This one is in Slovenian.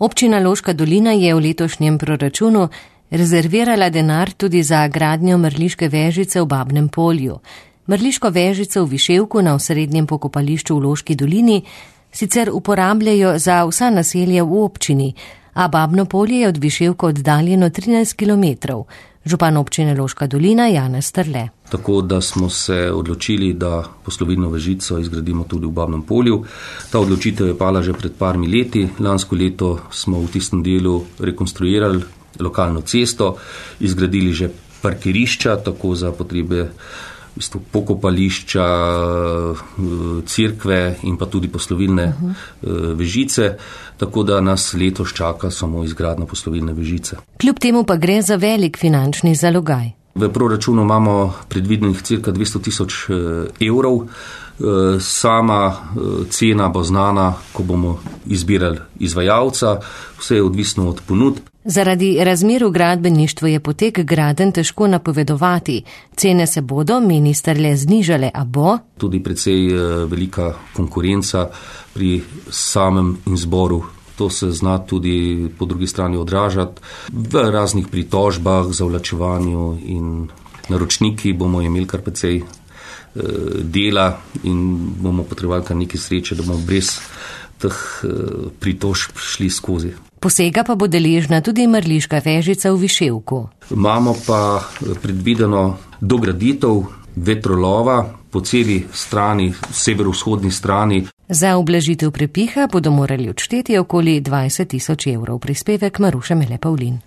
Občina Loška dolina je v letošnjem proračunu rezervirala denar tudi za gradnjo mrliške vežice v Babnem Polju. Mrliško vežico v Viševku na osrednjem pokopališču v Loški dolini sicer uporabljajo za vsa naselja v občini, a Babno Polje je od Viševka oddaljeno 13 kilometrov. Župan občine Loška dolina Janez Strle. Tako da smo se odločili, da poslovilno vežico izgradimo tudi v Babnem Polju. Ta odločitev je pala že pred parmi leti. Lansko leto smo v tistem delu rekonstruirali lokalno cesto, izgradili že parkirišča, tako za potrebe pokopališča, cerkve in pa tudi poslovilne vežice, tako da nas letos čaka samo izgradnja poslovilne vežice. Kljub temu pa gre za velik finančni zalogaj. V proračunu imamo predvidenih cirka 200 000 evrov. Sama cena bo znana, ko bomo izbirali izvajalca, vse je odvisno od ponudb. Zaradi razmer v gradbeništvu je potek gradenj težko napovedovati. Cene se bodo, meni Strle, znižale, a bo? Tudi precej velika konkurenca pri samem izboru. To se zna tudi po drugi strani odražati v raznih pritožbah, zavlačevanju in naročniki bomo imeli kar precej dela in bomo potrebovali kar nekaj sreče, da bomo brez teh pritožb šli skozi. Posega pa bo deležna tudi mrliška vežica v Viševku. Imamo pa predvideno dograditev vetrolova po celi strani, severovzhodni strani. Za ublažitev prepiha bodo morali odšteti okoli 20 000 evrov. Prispevek Maruša Mele Pavlin.